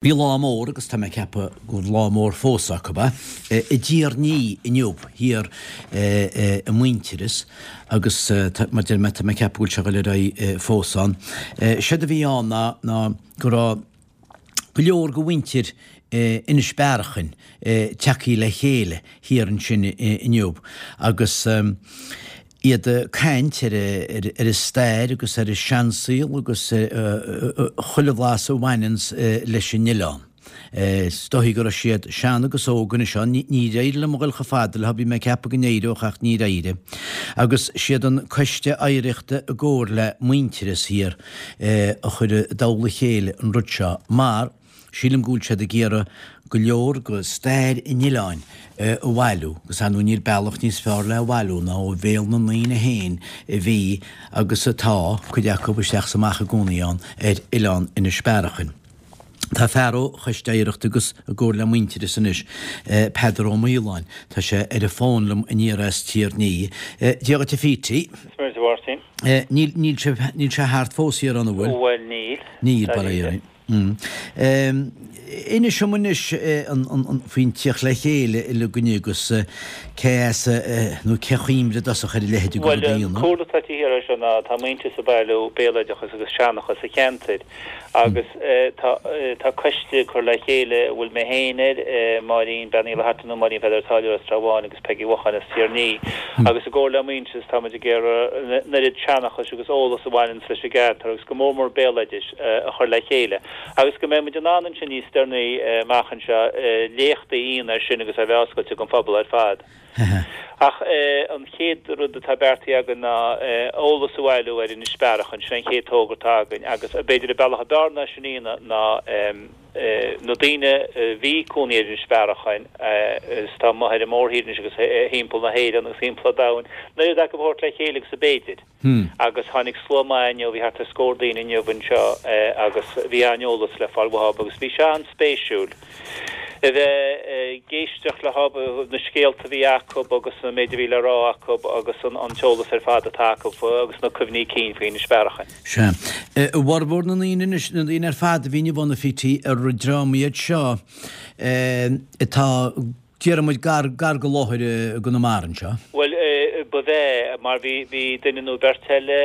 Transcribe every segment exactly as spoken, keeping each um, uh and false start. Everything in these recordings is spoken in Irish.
Bhí lá mór agus tá mé ag ceapadh gur lá mór fós acu é, i dTír an Fhia inniu thiar i Muintearas agus mar deir mé tá mé ag ceapadh go bhfuil sé ag dul ar aghaidh fós ann. Séard a bhí ann ná ná go raibh go leor de mhuintir Inis Bearachain tagtha le chéile thiar ansin inniu agus iad ag caint ar ar a stair agus ar a seansaol agus chuile bhlas a bhaineanns leis an oileán. Is dóichí go raibh siad sean agus óg anois ann. Níor éirigh liom a dhul chomh fada leo, bhí mé ag ceapadh go n-éireodh ach níor éirigh. Agus siad an Coiste Oidhreachta i gcomhar le Muintearas thiar a chuir i dtoll a chéile an rud seo mar, Sílim go bhfuil siad ag iarraidh go leor de stair an oileáin a bhailiú agus ar ndóigh níl bealach níos fearr le bhailiú ná ó bhéal na ndaoine féin a bhí agus atá, cuid acu, isteach is amach i gcónaí ann ar oileán Inis Bearachain. Tá fear ó Choiste Oidhreachta agus i gcomhar le Muintearas anois, Peadar Ó Maoláin, tá sé ar an bhfón liom aniar as Tír an Fhia. Dia dhuit a Phete. Dia duit a Mháirtín. Níl, níl sé, níl sé thart fós thiar ann, an bhfuil? Bhuel níl. Níl, bail ó Dhia orainn. Inis dom anois faoin tíocht le chéile uilig inniu agus cé as nó cé chuimhnigh i dtosach ar a leithéid de rud a Bhuel, an dhéanamh. cúlra atá taobh thiar de seo ná tá Muintearas ag bailiú béaloideachas agus seanchas an cheantair agus tá tá coiste curtha le chéile a bhfuil mé féin air, Máirín Bean Uí Fhlatharta nó Máirín Pheadair Ó Táilliúra as Trá Bháin agus Peigí Mhocháin as Tír an Fhia agus i gcomhar le Muintearas tá muid ag iarraidh an oiread seanchais agus eolas a bhaineanns leis an gceantar agus go mór mór béaloidis a chur le chéile. Agus go mbeidh muid in ann ansin níos deireanaí amach anseo léachtaí a dhéanamh air sin agus é a bheith oscailte don phobal ar fad. Ach an chéad rud atá beartaithe againn ná eolas a bhailiú ar Inis Bearachain, sin an chéad togra atá againn agus b'fhéidir an bealach ab fhearr ná sin a dhéanamh ná na daoine a bhí ag cónaí ar Inis Bearachain is atá amuigh ar an mórthír anois agus thimpeall na hÉireann agus thimpeall an domhain, an oiread acu a thabhairt le chéile agus ab fhéidir. Agus tháinig slua maith inniu, bhí thart ar scór daoine inniu anseo agus bhí an-eolas le fáil uathu agus bhí sé an-spéisiúil a bheith ag éisteacht leo, na scéalta a bhí acu agus an méid a bhí le rá acu agus an t-eolas ar fad atá acu agus na cuimhní cinn faoi Inis Bearachain. Sea. I bhformhór na ndaoine anois, na daoine ar fad a bhí inniu ann a Phete, ar dream iad seo atá Déarfaidh muid gar, gar go láthair i gConamara anseo. Bhuel, ba bh'ea, mar bhí, bhí duine nó beirt eile,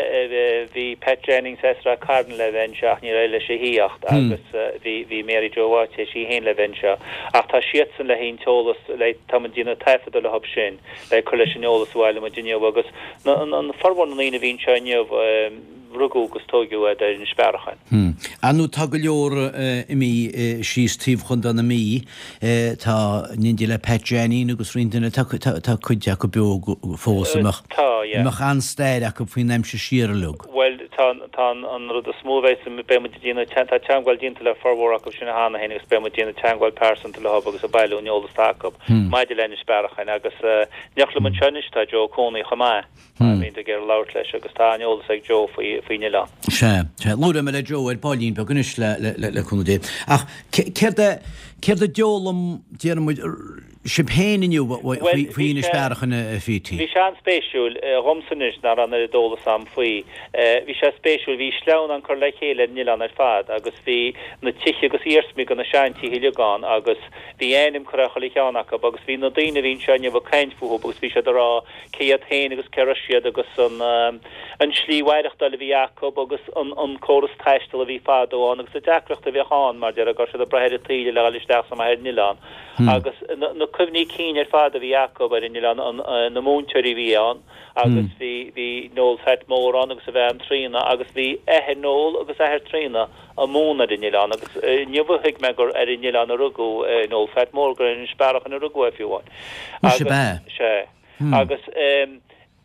bhí Pat Jennings as Ráth Cairn le bheith anseo ach níor éirigh leis a thíocht agus bhí, bhí Mary Joe Watts théis í féin le bheith anseo. Ach tá siadsan le haghaidh an t-eolas, le, tá muid ag déanamh taifeadadh leo sin le cur leis an eolas a bhailigh muid inniu agus na, an, formhór na ndaoine a bhí anseo inniu, rugadh agus tóigeadh iad ar Inis Bearachain. Ar ndóigh tá go leor imithe síos taobh Chontae na Mí, tá in éindí le Pat Janneen agus roinnt duine, tá tá cuid acu beo fós a mbeadh Tá, yeah. mbeadh an-stair acu faoin aimsir siar uilig. Bhuel, tá tá an rud is mó a bheidh, beidh muid ag déanamh, tá teagmháil déanta le formhór acu sin cheana féin agus beidh muid ag déanamh teagmháil pearsanta leo agus ag bailiú an eolas atá acu maidir le Inis Bearachain agus in éineacht liom anseo anois tá Joe Cooney chomh maith. Bhí ag iarraidh labhairt leis agus tá an-eolas ag Joe faoi faoin oileán. Sea, sea. Labhróidh mé le Joe ar baillín beag anois le, le, le, le cúnamh Dé. Ach céard a, céard a d'fhoghlaim, déarfaidh muid, sibh féin inniu faoi, Bhuel, faoi bhí Inis sé, Bearachain, a Phete? bhí sé an-spéisiúil, dhomsa anois, nach raibh an oiread eolas a'm faoi. Bhí sé spéisiúil, bhí sleamhnán curtha le chéile ar an oileán ar fad agus bhí na tithe agus iarsmaí de na seantithe uilig ann agus bhí ainm curtha ar chuile cheann acu agus bhí na daoine a bhí anseo inniu ag caint fúthu agus bhí siad ag rá cé hiad féin agus cé raibh siad agus an an slí mhaireachtáil a bhí acu agus an an córas taistil a bhí fadó ann agus na deacrachtaí a bhíodh ann mar déarfá go raibh siad ag brath ar an taoille le dhul isteach is amach ar an oileán agus na na cuimhní cinn ar fad a bhí acu ar an oileán an na múinteoirí a bhí ann agus bhí bhí Noel Phat Mór ann agus a bhean Tríona agus bhí athair Noel agus athair Tríona ag múineadh ar an oileán agus inniu a thuig mé gur ar an oileán a rugadh Noel Phat Mór gur ar Inis Bearachain a rugadh é fiú amháin Muise agus b'ea. sea. Agus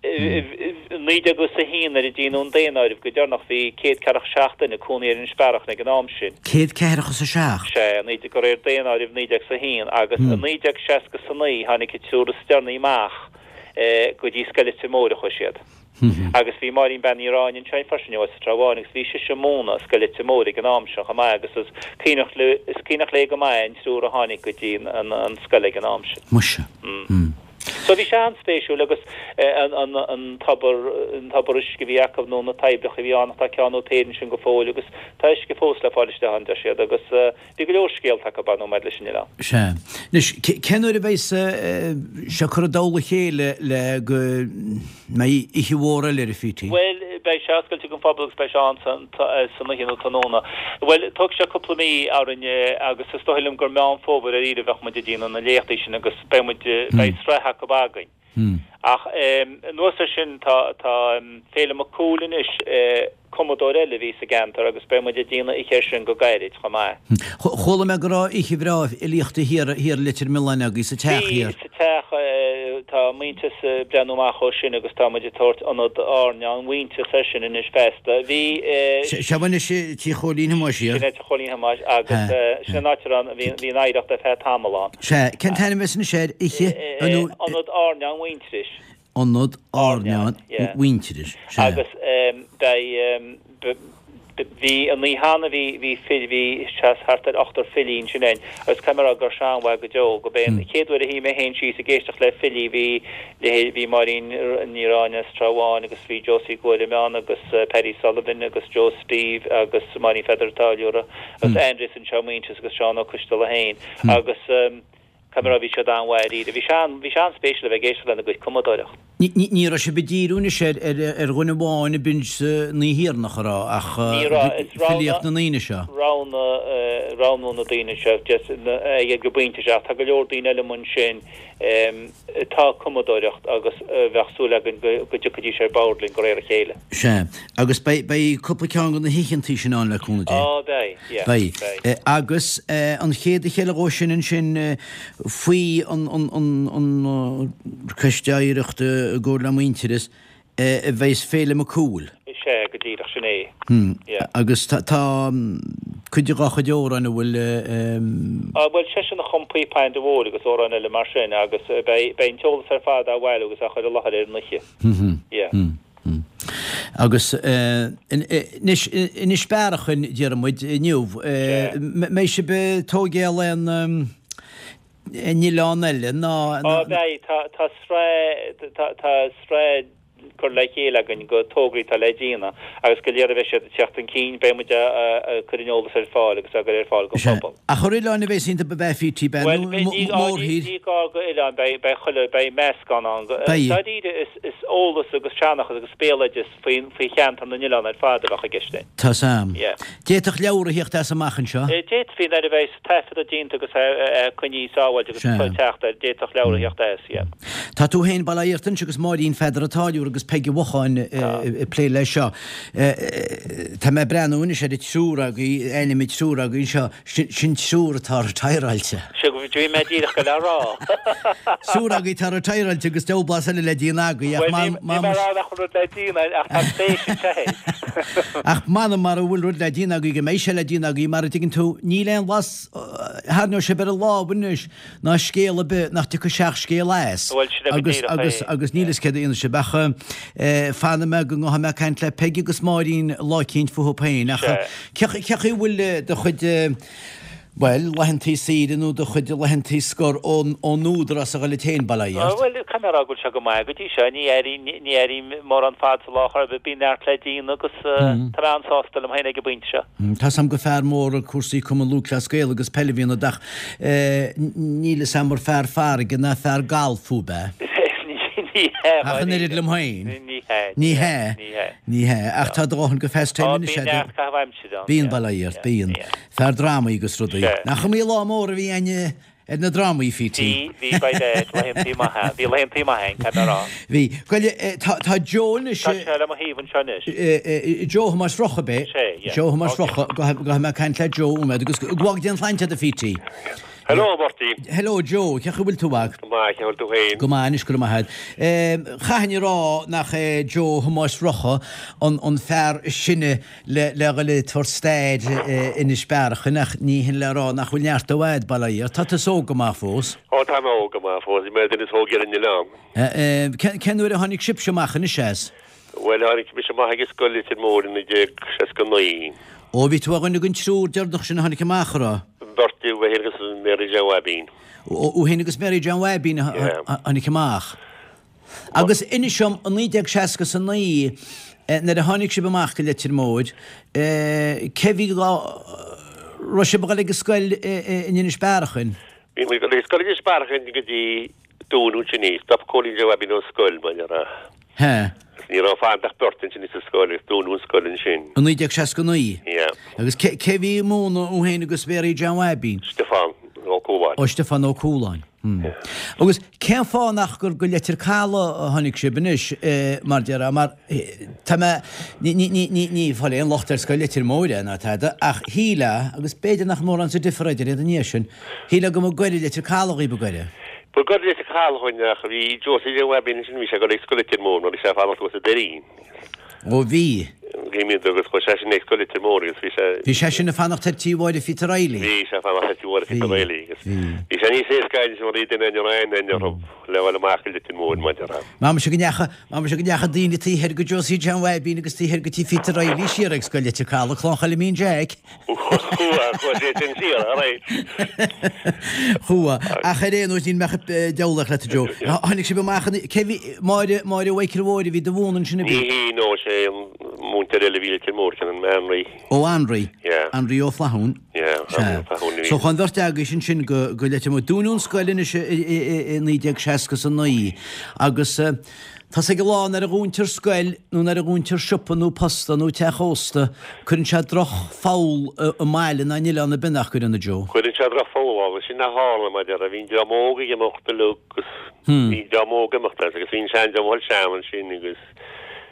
i naoi déag is a haon nuair a déanadh an daonáireamh go deireanach bhí céad ceathracha seacht duine ag cónaí ar Inis Bearachain ag an am sin. Céad ceathracha is a seacht? Sea, naoi déag, de réir daonáireamh naoi déag is a haon. Agus i naoi déag seasca is a naoi tháinig an triúr is deireanaí amach go dtí Scoil Leitir Móir a chuaigh siad. Agus bhí Máirín Bean Uí Ráinne anseo freisin inniu as an Trá Bháin agus bhí sise ag múineadh i Scoil Leitir Móir ag an am sin chomh maith agus is cuimhneach le, is cuimhneach léi go maith an triúr a tháinig go dtí an scoil ag an am sin. Muise. So bhí sé an-spéisiúil agus an an an tobar an tobar uisce a bhí acu nó na toibreacha a bhí ann ach tá ceann nó péire ansin go fóill agus tá uisce fós le fáil isteach ann deir siad agus bhí go leor scéalta acu ar ndóigh maidir leis an oileán. Sea. Anois, cén uair a bheas sé curtha i dtoll a chéile le go mbeidh oíche mhór eile ar a Phítí? Bhuel, beidh sé oscailte don phobal agus beidh sé ann san oíche nó tráthnóna. Bhuel, tógfaidh sé cúpla mí orainn agus is dóigh liom gur Meán Fómhair ar iarraidh a bheadh muid ag déanamh na léachtaí sin agus beidh muid, beidh sraith acu againn. Ach anuas air sin tá tá Féilim Mac Cumhaill anois, cumadóir eile a bhí sa gceantar agus beidh muid ag déanamh oíche air sin go gairid chomh maith. Chuala mé go raibh oíche bhreá fhilíochta thiar thiar i Leitir Mealláin agaibh sa teach Bhí, thiar. sa teach. Tá Muintearas ag breathnú amach ó sin agus tá muid ag tabhairt Ionad Airneáin Mhuintearas air sin anois feasta. Bhí. Sea, anois Tigh Chóilín Thomáis thiar. Sin é Tigh Chóilín Thomáis agus sin an áit a raibh, bhí an oidhreacht ar feadh tamall ann. Sea, cén t-ainm a bheas anois air, oíche, nó. Ionad Airneáin Mhuintearais. Ionad Airneáin Mhuintearais, sea. Agus beidh, bhí an oíche cheana, bhí, bhí fil, bhí thart ar ochtar filí ansin againn agus caithfidh mé a rá go raibh sé an-mhaith go deo, go b'é an chéad uair a shuigh mé féin síos ag éisteacht le filí, bhí leithéid, bhí Máirín Ní Ráinne as Trá Bháin agus bhí Josie Guaire ann agus Paddy Sullivan agus Joe Steve agus Máirín Pheadair an Táilliúra agus Aindrias anseo, Muintearas agus Seán Ó Coistealbha féin agus caithfidh mé a rá bhí siad an-mhaith dáiríre. Bhí sé an, bhí sé an-spéisiúil a bheith ag éisteacht lena gcuid cumadóireacht. Ní, ní, ní raibh sibh ag díriú anois ar, ar, ar dhuine amháin a b'inse na hIarnach a raibh ach Ní raibh, is roghnú, filíocht na ndaoine seo. roghnú, roghnú na daoine seo just na, ag an bpointe seo ach tá go leor daoine eile amuigh ansin atá ag cumadóireacht agus bheadh súil againn go dtiocfaidís ar bord linn de réir a chéile. Sea. Agus beidh, beidh cúpla ceann de na hoícheantaí sin ann le cúnamh Dé. Á, beidh, yeah, Beidh. beidh. Agus an chéad oíche eile dhó sin ansin faoi an, an, an, an Coiste Oidhreachta i gcomhar le Muintearas, a bheas Féilim Mac Cumhaill. Sea, go díreach, sin é. Yeah. Agus tá, tá cuid de dhá chuid amhrán a bhfuil. Á, bhuel, seisean a chum Píopain do Mhóir agus amhráin eile mar sin agus beidh, beidh an t-eolas ar fad á bhailiú agus á chur i láthair ar an oíche. Yeah. Agus anois, Inis Bearachain, déarfaidh muid inniu, mbeidh sibh ag tógáil aon oileán eile ná. Á, beidh, tá, tá sraith, tá, tá sraith curtha le chéile againn de tograí atá le déanamh agus de réir a bheidh siad ag teacht chun cinn beidh muid ag cur an eolas ar fáil agus á gcur ar fáil don phobal. Ach ar oileáin a bheas iontu ab ea Phítí, beidh nó mórthír? Ní gá go oileáin, beidh beidh chuile, beidh meascán ann. Dáiríre is is eolas agus seanchas agus béaloideas faoi faoi cheantar na n-oileán ar fad a bheadh i gceist. Tá's a'm. Yeah. D'fhéadfadh leabhar a theacht as amach anseo? D'fhéadfaí nuair a bheidh taifeadta déanta agus coinnithe sábháilte agus teacht air, d'fhéadfadh leabhar a theacht as, yeah. Tá tú féin, bail ó Dhia ort anois agus Máirín Pheadair an Táilliúra agus Peig Uí Mhocháin ag plé leis seo. Tá mé ag breathnú anois ar an triúr agaibh, ainm an triúr agaibh anseo, sin triúr atá retireáilte. Sea, bhí mé díreach ag goil á rá. Triúr agaibh atá retireáilte agus deabhal blas eile le déanamh agaibh ach Bhuel, níl mé ag rá nach bhfuil rud le déanamh ach tá spéis anseo. Ach m'anam mara bhfuil rud le déanamh agaibh go mbeidh sé le déanamh agaibh mar a dtuigeann tú, níl aon bhlas tharraingeodh sibh ar an lámh anois ná scéal ar bith nach dtiocfadh seacht scéal as Bhuel, sin é go agus, díreach agus, é. agus níl fhios céard a dhéanfaidh sibh ach eh, fanfaidh mé go ngabhfaidh mé ag caint le Peig agus Máirín lá eicínt fúthu féin ach Sea. cé cé chaoi a bhfuil eh, do chuid eh, bhuel, laethantaí saoire nó do chuid laethantaí scor ón, ón údarás a dhul duit féin, bail ó Dhia ort? Bhuel, caithfidh mé a rá go bhfuil sé go maith go dtí seo. Ní airím, ní airím mórán fad sa lá chor ar bith. Bíonn neart le déanamh agus tá mé an-sásta liom féin ag an bpointe seo. Tá's a'm gur fear mór ag cúrsaí Cumann Lúthchleas Gael agus peil a bhí ionat ach níl fhios a'm ar fear farraige ná fear gailf thú, ab ea? Ní hea, Ach an oiread liom féin. Ní hea. Ní hea. Ní hea. Ní hea. Ach tá do dhóthain go pastime Ó, anois bíonn a'd. neart caitheamh aimsire ann. Bíonn, bail ó Dhia ort, bíonn. Fear drámaí agus rudaí. Sea. Nach iomaí lá mór a bhí a'inne ar na drámaí, Phítí? Bhí, bhí, by dad, laethantaí maithe. Bhí laethantaí maithe a'inn, caithfidh mé a rá. Bhí. Bhuel, tá, tá Joe anois. Tá sé le mo thaobh anseo anois. Joe Thomáis Rocca, ab é? Sé, yeah. Joe Thomáis Rocca, gabhfaidh mé ag caint le Joe nóiméad agus go bhfága Dia an tsláinte a'd a Phítí. Hello, a Mháirtín. Hello Joe, cén chaoi a bhfuil tú a mhac? Go maith, cén chaoi a bhfuil tú féin? Go maith anois, go raibh maith a'd. Chaithfinn a rá nach é Joe Thomáis Rocca an an fear is sine le le dhul ag tabhairt stair Inis Bearachain ach ní hin le rá nach bhfuil neart dó a'd, bail ó Dhia ort. Tá tusa óg go maith fós. Ó tá mé óg go maith fós, bhí mé duine is óige ar an oileán. Cén uair a tháinig sibhse amach anois as? Bhuel, tháinig mise amach ag an scoil Leitir Móir i naoi déag seasca naoi. Ó bhí tú ar dhuine den triúr deireanach sin a tháinig amach, a raibh? Beirt, mé féin agus Mary Jane Bhaibín. Ó, thú féin agus Mary Jane Bhaibín a tháinig amach. Agus inis dom, i naoi déag seasca is a naoi, nuair a tháinig sibh amach go Leitir Móir, cé bhí go raibh sibh ag dul ag an scoil in Inis Bearachain? Bhí muid ag dul ag scoil in Inis Bearachain go dtí dúnadh ansin í. Stop Cóilín Joe Aibín ón scoil, mar a déarfá. He. Ní raibh fanta ach beirt ansin sa scoil agus dúnadh an scoil ansin. I naoi déag seasca naoi? Yeah. Agus cé cé bhí ag múineadh thú féin agus Mary John Aibín? Stiofán Ó Cúláin. Ó Stiofán Ó Cúláin. Hmm. Agus cén fáth nach gur go Leitir Caladh a tháinig sibh anois, mar déarfá, mar tá mé, ní, ní, ní, ní, ní fáil aon locht ar scoil Leitir Móir é ná tada, ach shílfeá, agus b'fhéidir nach mórán sa difear idir iad an ndiaidh sin, shílfeá go mba gaire Leitir Caladh dhaoibh ba gaire. Ba gaire Leitir Caladh dhúinn ach bhí Josie Joe Aibín ansin, bhí sé ag dul ag scoil Leitir Móir mar bhí sé ag fanacht thuas sa Doirín. Ó bhí. Bhí mé agus chuaigh sé sin ag scoil Leitir Móir agus bhí sé. Bhí sé sin ag fanacht ar tí Mháire Phíotair Reilly. Bhí sé ag fanacht ar tí Mháire Phíotair Reilly agus bhí sé níos éasca anois mar bhí duine ar aon duine orthu le dhul amach go Leitir Móir mar a déarfá. M'anam go ndeacha, m'anam go ndeacha daoine taobh thoir go Josie John Aibín agus taobh thoir go tí Phíotair Reilly siar ag scoil Leitir Caladh, Clann Choilimín Jack. Chuaigh, chuaigh sé sin siar, all right. Chuaigh, ach ar aon nós níl mé ach ag diabhlaíocht leat a Joe. Tháinig sibh amach an, cé bhí, Máire, Máire Mhichael Mhóir a bhí do mhúineadh ansin a bhí? Ní hí, no, sé an múinteoir eile a bhí i Leitir Móir, sin an Anraí. Ó Anraí? Yeah. Anraí Ó Flathúin? Yeah, Anraí Ó Flathúin a bhí. So chuaigh an bheirt agaibhse ansin go, go Leitir Móir. Dúnadh an scoil anois i, i, i, i naoi déag seasca is a naoi agus eh, tá's ag a lán nuair a dhúntar scoil nó nuair a dhúntar siopa nó posta nó teach ósta, cuireann sé droch-fheall i mbaile nó in oileán ar bith nach gcuireann a Joe? Cuireann sé droch-fheall agus sin a tharla mar a déarfá, bhí an dream óg ag imeacht uilig agus bhí an dream óg ag imeacht as agus bhí an seandream a dhul sean ansin agus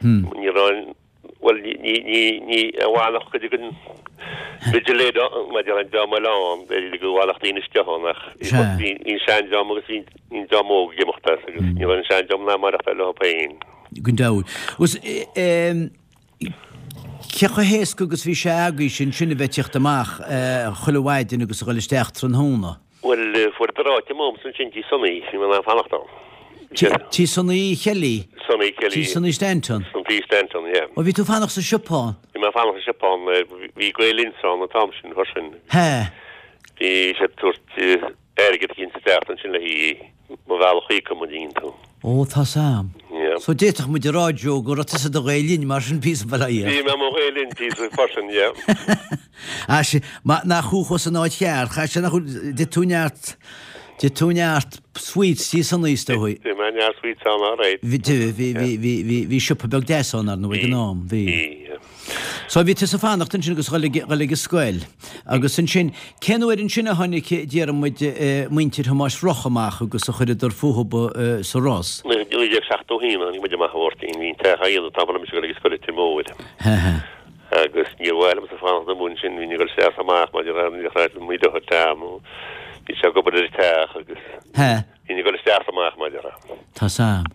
ní raibh an, bhuel ní, ní, ní, ní, a bhfanacht cuid den vigilator mar a déarfá an dream eile ann, b'fhéidir go bhfanfadh daoine isteach ann ach bhí an seandream agus bhí an dream óg ag imeacht as agus ní raibh an seandream in ann maireachtáil leo féin. Gan dabht. Agus cé chomh héasca agus bhí sé agaibhse ansin a bheith ag tíocht amach chuile mhaidin agus a dhul isteach tráthnóna? Bhuel, fuaireadar áit a'msa ansin tí Sonny, bhí mé in ann fanacht ann. Tí Sonny Kelly? Sonny Kelly. Tí Sonny Stanton? Tí Stanton, yeah. Ó, bhí tú fanacht sa siopa ann? Bhí mé fanacht sa siopa ann, bhí Gael Linn ann an t-am sin freisin. He. Bhí siad ag tabhairt airgead eicínt sa tseachtain sin le haghaidh mo bhealach a íoc an dtuigeann tú. Ó, tá's a'm. Yeah. So d'fhéadfadh muid a rá, Joe, go raibh tusa i do Ghael Linn mar sin píosa bail ó Dhia. Bhí mé i mo Ghael Linn píosa freisin, yeah. Ah, sin, ma, nach thú chuas san áit cheart, chaith sé nach bhfuil, d'ith tú neart, d'ith tú neart sweets tí Sonny is dóigh. D'ith mé neart sweets ann, all right. Bhí, bhí, bhí, bhí, bhí, bhí siopa beag deas ann, ar ndóigh, ag an am, bhí. Bhí, yeah. So bhí tusa ag fanacht ansin agus dhul ag, dhul ag an scoil. Agus ansin, cén uair ansin a tháinig, déarfaidh muid, muintir Thomáis Rocha amach agus a chuireadar fúthu sa Ros? Naoi déag seachtó a haon a tháinig muid amach a Mháirtín, bhí an teach á dhéanamh an t-am a raibh mise ag dul ag an scoil i Leitir Móir. Agus níor mhaith liomsa fanacht amuigh ansin, bhínn ag dul isteach is amach mar ní raibh mo dheartháir Tom, bhí sé ag obair ar an teach agus bhínn ag dul isteach is amach mar a déarfá. Tá's a'm.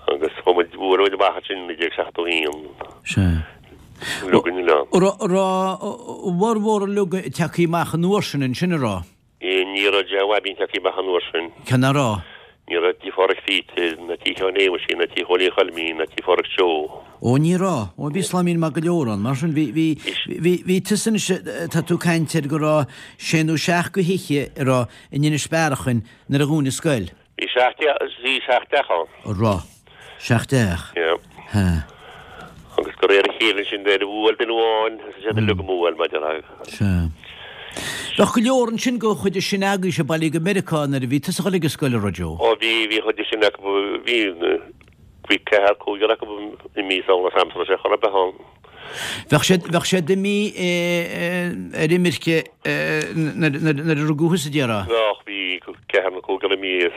Agus chuaigh muid, bhuail muid amach ansin i naoi déag seachtó a haon. Sea. Uilig an oileán. Raibh a bhformhór uilig tagtha amach an uair sin ansin, an raibh? Ní raibh Joe Aibín tagtha amach an uair sin. Cé nach raibh? Ní raibh tí Pháraic Phíotair, ná tí Sheáin Shéamuis, ná tí Chóilín Choilmín, ná tí Pháraic Joe. Ó ní raibh. Ó bhí sláimín maith go leor ann. Mar sin bhí, bhí, bhí, bhí tusa anois, tá tú ag caint ar go raibh sé nó seacht de thithe a raibh in Inis Bearachain nuair a dhún an scoil. Bhí seacht teach, bhí seacht teach ann. Raibh. Seacht dteach. Yeah. Ha. Agus de réir a chéile ansin nuair a bhuail duine amháin, thosaigh siad uilig ag buail, mar a déarfá. Sea. Bheadh go leor ansin de chuid sin agaibhse bailithe go Meiriceá nuair a bhí tusa ag dul ag an scoil, an raibh, Joe? Ó bhí, bhí chuid de sin acu, bhí, bhí ceathair, cúigear acu imithe sula raibh sé chor ar bith ann. Bheadh siad, bheadh siad imithe ar imirce nuair a rugadh thusa, déarfá? Bheadh, bhí ceathrar nó cúigear imithe,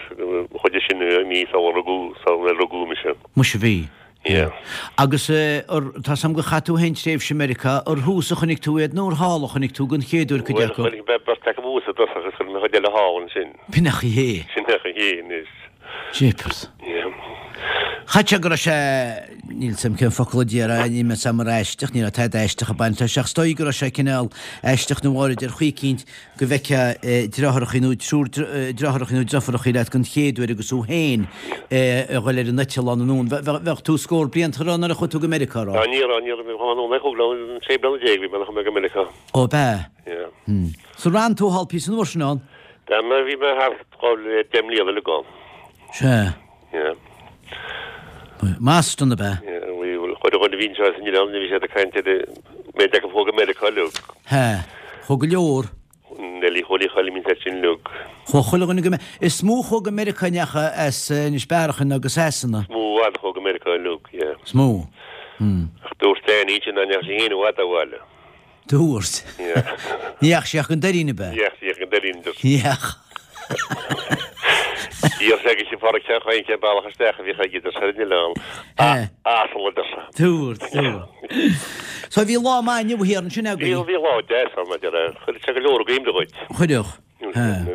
chuid de sin imithe sula rugadh, sula rugadh mise. Muise bhí. Yeah. Agus tá's a'm gur chaith tú féin tréimhse i Meiriceá, ar thuas a chonaic tú iad nó ar thall a chonaic tú den chéad uair cuid acu? Bhuel, chonaic mé beirt acu thuas i dtosach agus chonaic mé chuid eile thall ansin. B'in a chaoi é. Sin a chaoi é anois. Jeepers. Yeah. Chaith sé go raibh sé, níl 's a'm cén focal a déarfá, níl 's a'm ar aisteach, ní raibh tada aisteach ag baint leis ach is dóigh go raibh sé cineál aisteach nó áirid ar chaoi eicínt go bhfeicfeá deartháireachaí nó triúr deartháireachaí nó deirfiúrachaí leat den chéad uair agus thú féin a dhul ar an eitleán anonn. Bheadh tú scór blianta an raibh nuair a chuaigh tú go Meiriceá, raibh? Á ní raibh, ní raibh, bhí mé anonn ag cúig bliana, sé bliana déag bhí mé nuair a chuaigh mé go Meiriceá. Ó b'ea? Yeah. So ar fhan tú thall píosa an uair sin ann? D'fhan mé, bhí mé thart dhá, deich mbliana uilig ann. Sea. Yeah. Maston ab ea? Yeah, bhí chuile dhuine a bhí anseo as an oileán, bhí siad ag caint ar an méid acu a chuaigh go Meiriceá uilig. Hea, chuaigh go leor. Neilí Chóilí Choilm an sin uilig. Chuaigh chuile dhuine go Is mó a chuaigh go Meiriceá a ndeachaigh as Inis Bearachain agus Sasana. Is mó i bhfad a chuaigh go Meiriceá uilig, yeah. Is mó. Hmm. Ach dúirt Danny sin nach ndeachaigh sí féin i bhfad abhaile. Dúirt. Ní dheachaigh sí ach go Doirín ab ea? Ní dheachaigh sí ach go Doirín. Ní dheachaigh. D'iarr sé agus sí Phádraic Sheáin Chaoin cén bealach isteach a bhíodh aige idir sé an oileán. Asal a deir sé. Dúirt, dúirt. So bhí lá maith inniu thiar ansin agaibh? Bhí, bhí lá deas ann, maidir le, chuir sé go leor i gcuimhne dhuit. Chuirfeadh.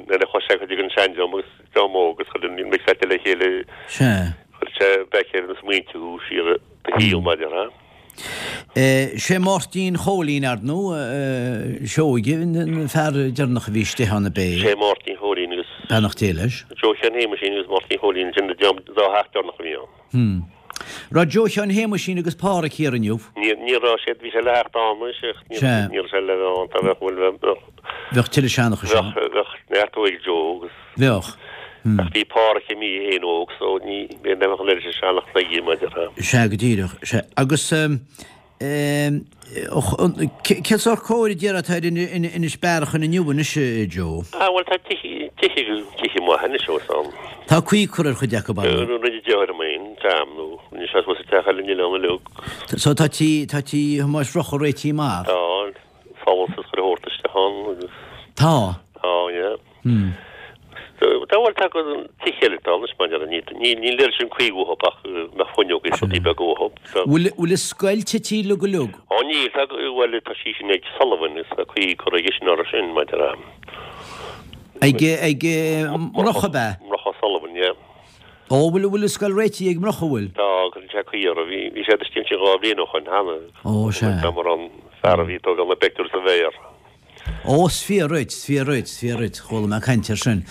Nuair a chuaigh sé chuig an seandream agus dream óg agus chuir an mix le chéile. Sea. Chuir sé back ar na smaointe thú siar do shaol maidir le. Sé Máirtín Chóilín, ar ndóigh, Seoige, an fear deireanach a bhí istigh ann ab é? Sé Máirtín Chóilín agus. Beannacht Dé leis. Joe Sheáin Shéamuisín agus Máirtín Chóilín, sin na dá theach deireanach a bhí ann. Hmm. Raibh Joe Sheáin Shéamuisín agus Páraic thiar inniu? Ní ní raibh siad, bhí sé le theacht ann anois ach ní ní raibh sé le bheith ann, tá bheadh bhfuil bheadh. Bheadh tuilleadh seanchais ann. Bheadh bheadh neart uaidh Joe agus. Bheadh. Hmm. Ach bhí Páraic imithe é féin óg so ní bheadh an oiread sin seanchas aige maidir le. Sea, go díreach, sea. Agus ehm cén sórt cóir a déarfá atá ar Inis Bearachain inniu anois, a Joe? Ah bhuel tá tithe, tithe, tithe maithe anois os ann. Tá caoi curtha ar chuid acu, ar ndóigh. Rinne deartháir liom féin, Sam, nó rinne sé suas an teach eile in Oileán na Lug. So tá tí, tá tí Thomáis Mhurchadha réitithe amach? Tá, solas is chuile shórt isteach ann agus. Tá? Tá, yeah. Hmm. Tá bhuel tá tithe eile atá anois maidir le, níl níl oiread sin caoi uathu ach mbeadh fuinneoga is rudaí beaga uathu. Bhfuil bhfuil an scoil tite uilig go uilig? Ó níl, tá bhuel tá sí sin ag Sullivan is tá caoi curtha aige sin orthu sin maidir le. Ag ag Murchadh ab ea? Murchadh Sullivan, yeah. Ó bhfuil bhfuil an scoil réitithe ag Murchadh bhfuil? Tá, cuireann sé caoi orthu. Bhí bhí siad istigh ansin dhá bhliain ó shoin cheana. Ó sea. Tá mar an fear a bhí ag tógáil na bpictiúr sa bhféar. Ó, is fíor dhuit, is fíor dhuit, is fíor dhuit, chuala mé caint air sin.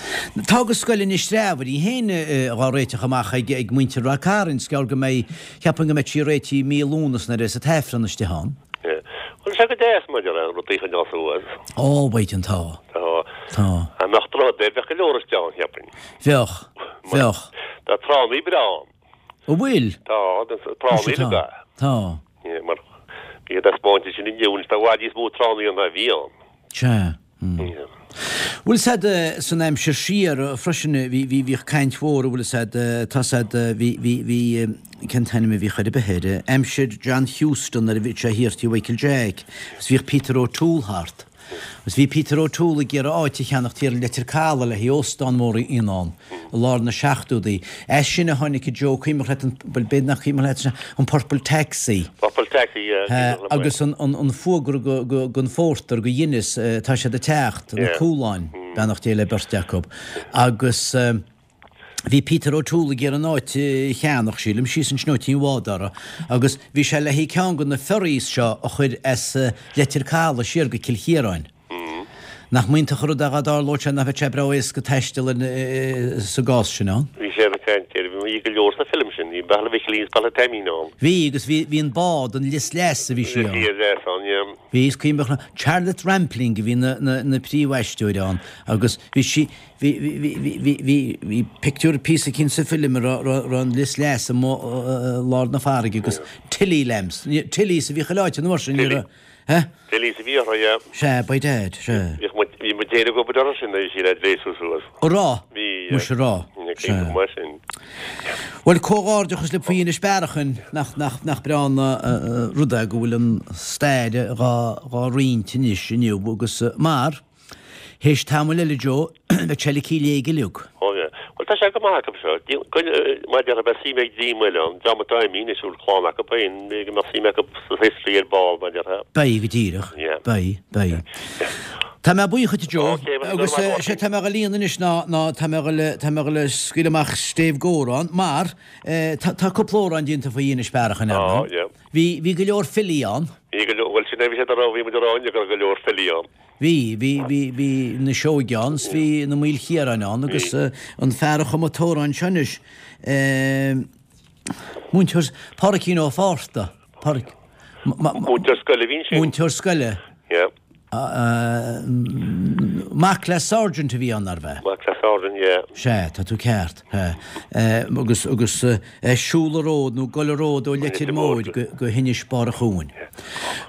Tá go scoil Inis Treabhair í féin dhá réiteach amach ag ag muintir Ráth Cairn, is gearr go mbeidh, cheapfainn go mbeidh sí réitithe mí Lúnasa nuair a bheas an t-Aifreann istigh ann. Yeah. Bhuel, tá sé go deas maidir le rudaí a choinneáil suas. Ó, b'éigean, tá. Tá. Tá. Dá mbeadh droichead air, bheadh go leor istigh ann, cheapfainn. Bheadh. Bheadh. Tá tránnaí breá ann. An bhfuil? Tá, tránnaí Tá. Tá. Yeah, mar bhí siad ag spáint sin inniu, anois tá i bhfad níos mó tránnaí ann ná a bhí ann. Sea. Mm. Bhfuil 's a'd san aimsir siar freisin bhí bhí bhíodh caint mhór bhfuil 's a'd tá 's a'd bhí bhí bhí cén t-ainm a bhíodh air ar bith air aimsir John Heuston nuair a bhí sé thiar tí Mhichael Jack agus bhíodh Peter O'Toole thart. Agus bhí Peter O'Toole ag iarraidh áit a cheannacht thiar i Leitir Caladh le haghaidh óstán mór a dhéanamh ann i lár na seachtóidí. As sin a tháinig Joe, cuimhneach leat an, bhuel b'fhéidir nach cuimhneach leat sin, an Purple Taxi. Purple Taxi, yeah, cuimhneach liom é. Agus an, an, an fuagra go, go, gon phórtar, go Guinness, tá siad ag teacht, na cúláin, beannacht Dé le beirt acu. Agus. Bhí Peter O'Toole ag iarraidh an áit a cheannach, sílim, síos ansin ó tí an Bhád agus bhí sé le haghaidh ceann de na ferries seo a chur as Leitir Caladh siar go Cill Chiaráin. Nach mb'iontach an rud é dhá dtarlódh sé, nach mbeadh sé breá éasca taisteal sa gcás sin ann? Bhí sé ag caint air, bhí go leor sa film sin, bhí Baile Mhicilín is Baile Taimín ann. Bhí, agus bhí, bhí an bád, an Lios Leas a bhí sí ann. Bhí Lios Leas ann, yeah. Bhí, is cuimhneach liom, Charlotte Rampling a bhí na, na, na príomhaisteoirí ann agus bhí sí, Bhí, bhí, bhí, bhí, bhí, bhí pictiúr píosa eicínt sa film a raibh, raibh, raibh an Lios Leas amuigh i lár na farraige agus Tilly lamps, Tillys a bhíodh chuile áit an uair sin, ní raibh, eh? Tillys a bhí orthu, yeah. Sea, by dad, sea. Bhíodh muid, bhí muid féin ag obair orthu sin nuair a bhí siad á dtréasú suas. An raibh? Bhí, yeah. Muise raibh, sea. Go maith sin. Bhuel, comhghairdeachas libh faoi Inis Bearachain, nach, nach, nach breá an rud é go bhfuil an stair dhá, dhá roinnt anois inniu agus mar, Théis tamaill eile Joe, bheadh sé ligthe i léig uilig. Ó yeah. Bhuel tá sé go maith acu seo. Mar a déarfá beidh suim ag dream eile ann, dream atá imithe anois a bhfuil clann acu féin, b'fhéidir go mbeadh suim acu sa history ar ball mar a déarfá. Beidh, go díreach. Yeah. Beidh, beidh. Tá mé buíoch dhuit a Joe. Ok, bhuel, Agus go raibh maith sé tá mé ag líonadh anois ná ná tá mé ag dul tá mé ag dul scaoileadh amach stéibh gcomhrán mar eh, tá tá cúpla amhrán déanta faoi Inis Bearachain ar Á, ndóigh. yeah. Bhí bhí go leor filí ann. Bhí go leor, bhuel sin é bhí siad a rá, bhí muid a rá inniu go raibh go leor filí ann. Bhí, bhí, bhí, bhí na Seoighe ann, 's bhí na Maoilchiaráin ann agus an fear a chum an t-amhrán seo anois, múinteoir, Pádraicín Ó Fátharta, Pádraic, Múinteoir scoile a bhí ansin. Múinteoir scoile. Yeah. Mac le Sergeant a bhí ann arbh ea? Mac le Sergeant, yeah. Sea, tá tú ceart. Agus agus siúl an ród nó gol an ród ó Leitir Móir go hInis Barra Chuain.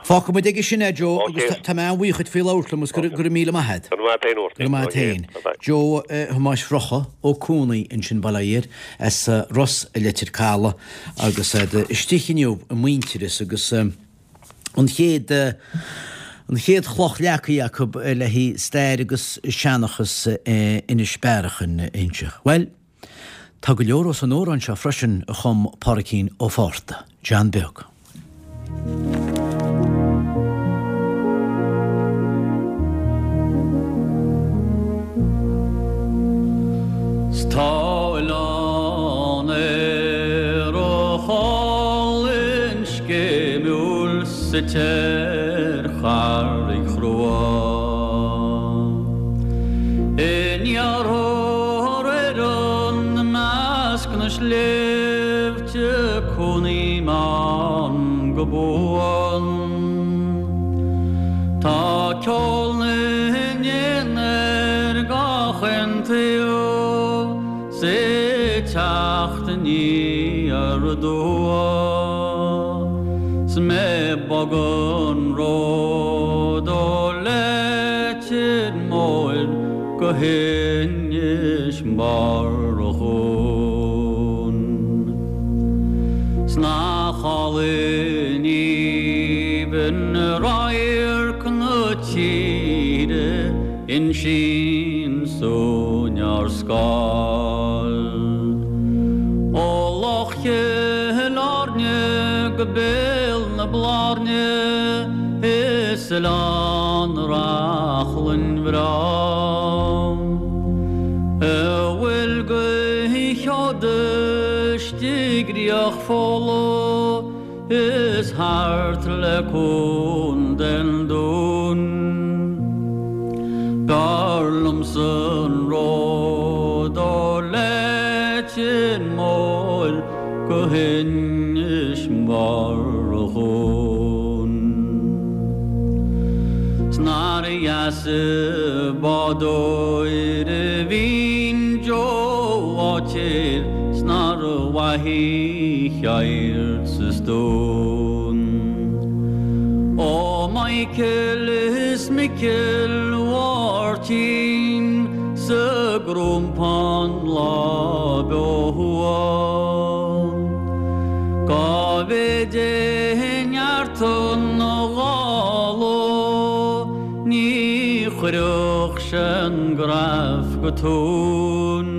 Fágfaidh muid aige sin é Joe agus tá mé an-bhuíoch duit faoi labhairt liom agus go raibh míle maith agat. Go raibh maith agat féin. Go raibh maith agat féin. Joe Thomáis Bhrocha Ó Cuanaigh ansin Baile Oighir as Ros i Leitir Caladh agus istigh inniu i Muintearas agus an chéad an chéad chloch leagtha acu le haghaidh stair agus seanchas Inis Bearachain inse. Well, tá go leor os an amhrán seo freisin a chum Pádraicín Ó Fátharta, John Beag. Tá oileán aerach álainn scéimiúil suite ar charraig chrua. In iarthar Éireann i measc na sléibhte cónaím ann go buan. Tá ceol na n-éan ar gach aon taobh, 's é teacht aniar aduaidh. 'S mé bog an ród ó Leitir Móir go hInis Barra Chuain. 'S nach álainn aoibhinn radharc na tíre insíonn súinn ár scáil. Ó Loch Chill Airne go Béal na Blarne is oileán Reachlainn bhreá. A bhfuil go sheoda istigh ríoch Fódhla is thart le Contae an Dúin. B'fhearr liomsa an ród ó Leitir Móir go hInis Barra Chuain. 'S nár dheas an bádóir a bhíonn Joe Bháitéir, 's nár mhaith a cheird sa stón. Ó Michael is Micil Mháirtín sa gCrompán lá beo thuaidh. Cá mhéad é neart an ghála, ní chuirfeadh sé an graf go tóin.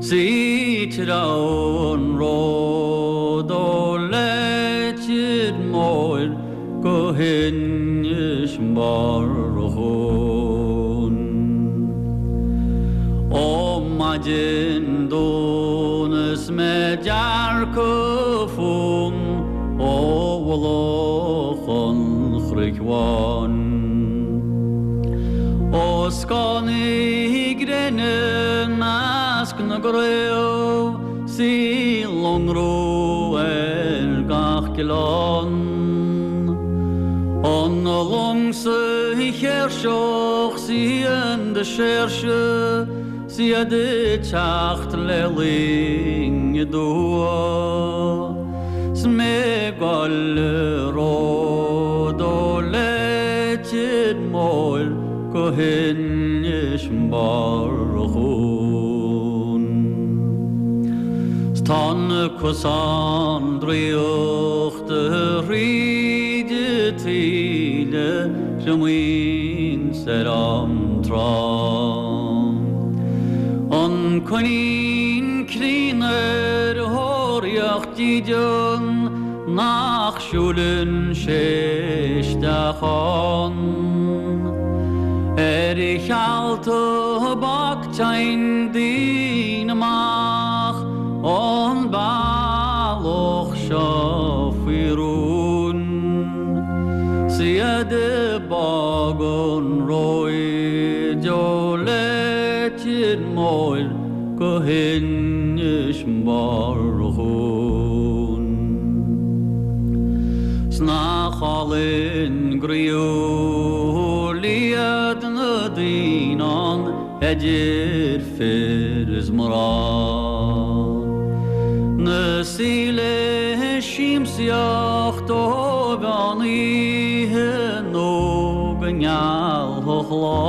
'S treabh an ród ó Leitir Móir go hInis Barra Chuain. Ó maidin dún is mé dearcadh fúm ó mhullach an Chnoic Bháin. Ó scáth na gréine measc na gcraobh, 's í lonrú ar gach oileán. An long sa chéirseach 's í an de séirse, 's iad ag teacht le linn aduaidh. 'S mé gol an ród ó Leitir Móir go hInis Barra Chuain. 'S tá na cosán draíochta thríd an taoille triomaíonn ar an trá. An coinín críonna ar thóraíocht dídean nach siúlann sé isteach ann. Ar cheal tobac téann daoine amach ón bealach seo faoi rún. 'S iad ag bog an róid ó Leitir Móir go hInis Barra Chuain. 'S nach álainn griúr Idir fir is mná. Na saoile siamsaíocht ó mheán oíche nó go ngealfadh lá.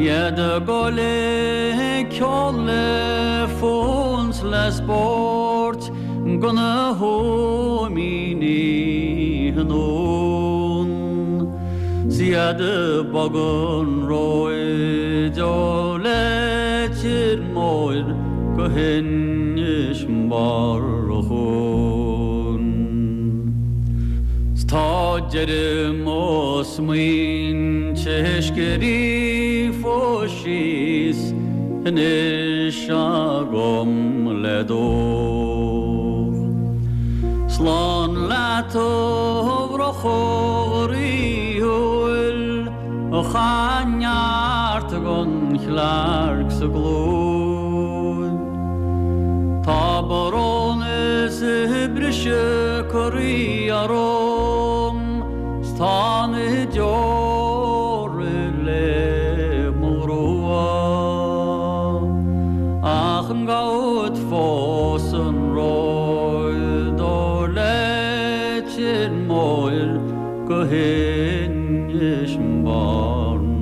Iad ag gol le ceol le fonn 's le spórt go na hóimíní anonn. 'S iad ag bogadh an róid ó Leitir Móir go hInis Bearrachain. 'S tá deireadh mo smaointe scríofa síos anois agam le deoir. Slán leat a bhrothall ríúil a chaith neart gon chlearc sa ghlúin. Tá brón is briseadh croí orm 's tá na deora le mo ghrua. Ach an gabhfad fós an ród ó Leitir Móir go hInis Bearrachain.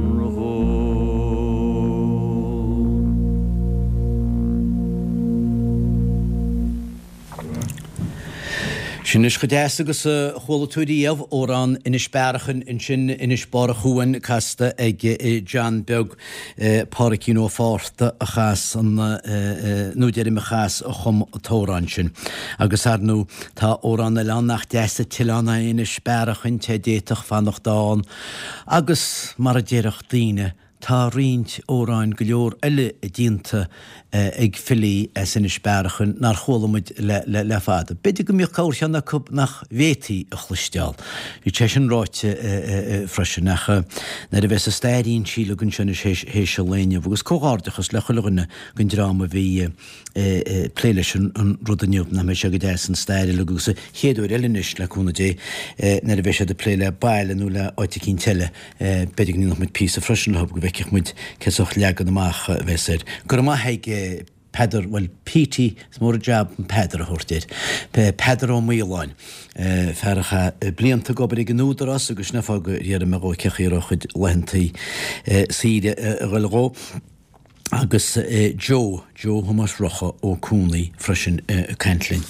Sin is go deas agus a chuala tú riamh amhrán Inis Bearachain ansin Inis Barr a' Chuain casta ag John Beag Pádraicín Ó Fátharta a chas an nó deirim a chas a chum an t-amhrán sin. Agus ar ndóigh tá amhrán eile ann nach deas an t-oileán é Inis Bearachain té d'fhéadfadh fanacht ann agus mar a déarfadh daoine tá roinnt amhráin go leor eile déanta ag filí as Inis Bearachain nár chuala muid le, le, le fada. B'fhéidir go mbíodh corrcheann acu nach bhféadfaí a chloisteáil. Bhí sé sin ráite freisin ach nuair a bheas an stair inste againn sin is théis an lae inniu agus comhghairdeachas le chuile dhuine den dream a bhí plé leis an rud inniu nach mbeidh sé go deas an stair uilig agus an chéad uair eile anois le cúnamh Dé nuair a bheidh siad ag plé le baile nó le áit eicínt eile b'fhéidir go ndéanfadh muid píosa freisin leo go bhfeicfeadh muid cén sórt leagan amach a bheas air. Go raibh maith ag Peadar, bhuel Petey, is mór an jab an Peadar a thabhairt air. Peadar Ó Maoláin, fear a chaith blianta ag obair ag an Údarás agus sin an fáth gur iarr mé dhó cén chaoi a raibh a chuid laethantaí saoire a dhul dhó. Agus Joe, Joe Thomáis Rocha Ó Cúnaí freisin ag caint linn.